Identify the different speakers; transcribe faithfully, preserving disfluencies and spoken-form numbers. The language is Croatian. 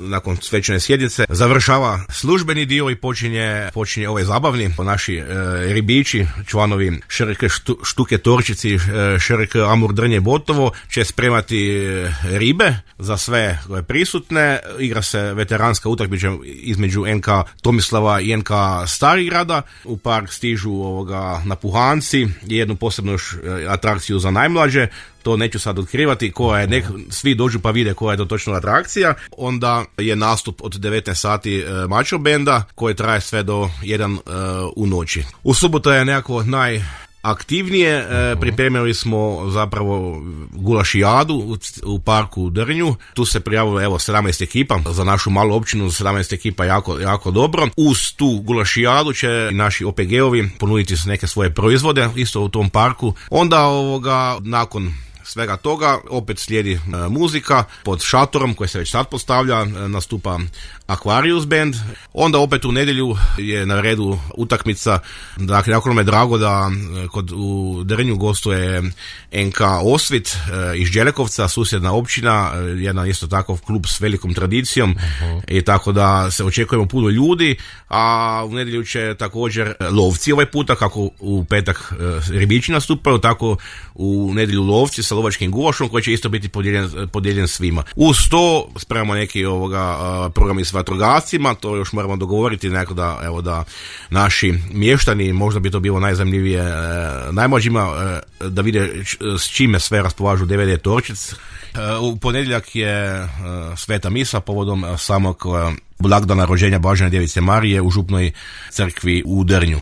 Speaker 1: nakon svečane sjednice završava službeni dio i počinje, počinje ovaj zabavni. Naši e, ribiči, članovi Šerke štu, Štuke Torčici, e, Šerke Amur Drnje Botovo će spremati e, ribe za sve prisutne. Igra se veteranska utakmica između N K Tomislava i N K Starigrada. U park stižu ovoga napuhanci i jednu posebnu još atrakciju za najmlađe. To neću sad otkrivati, koja je, nek, svi dođu pa vide koja je to točno atrakcija. Onda je nastup od devetnaest sati e, mačo benda koji traje sve do jedan e, u noći. U subotu je nekako naj aktivnije, e, pripremili smo zapravo gulašijadu u, u parku u Drnju. Tu se prijavilo evo sedamnaest ekipa, za našu malu općinu sedamnaest ekipa jako, jako dobro. Uz tu gulašijadu će naši O P G-ovi ponuditi neke svoje proizvode isto u tom parku. Onda ovoga nakon svega toga opet slijedi e, muzika pod šatorom koji se već sad postavlja, e, nastupa Aquarius band. Onda opet u nedjelju je na redu utakmica. Dakle, jako nam je drago da e, kod u Drnju gostuje N K Osvit e, iz Đelekovca, susjedna općina, e, jedan isto takav klub s velikom tradicijom. Uh-huh. I tako da se očekujemo puno ljudi, a u nedjelju će također lovci ovaj puta, kako u petak e, ribiči nastupaju, tako u nedjelju lovci sa lovačkim gulašom koji će isto biti podijeljen, podijeljen svima. Uz to spremamo neki ovoga uh, programi s vatrogascima, to još moramo dogovoriti nekako da, evo, da naši mještani, možda bi to bilo najzanimljivije uh, najmlađima, uh, da vide č, s čime sve raspolažu D V D Torčic. Uh, u ponedjeljak je uh, sveta misa povodom uh, samog uh, blagdana rođenja Blažene djevice Marije u župnoj crkvi u Drnju.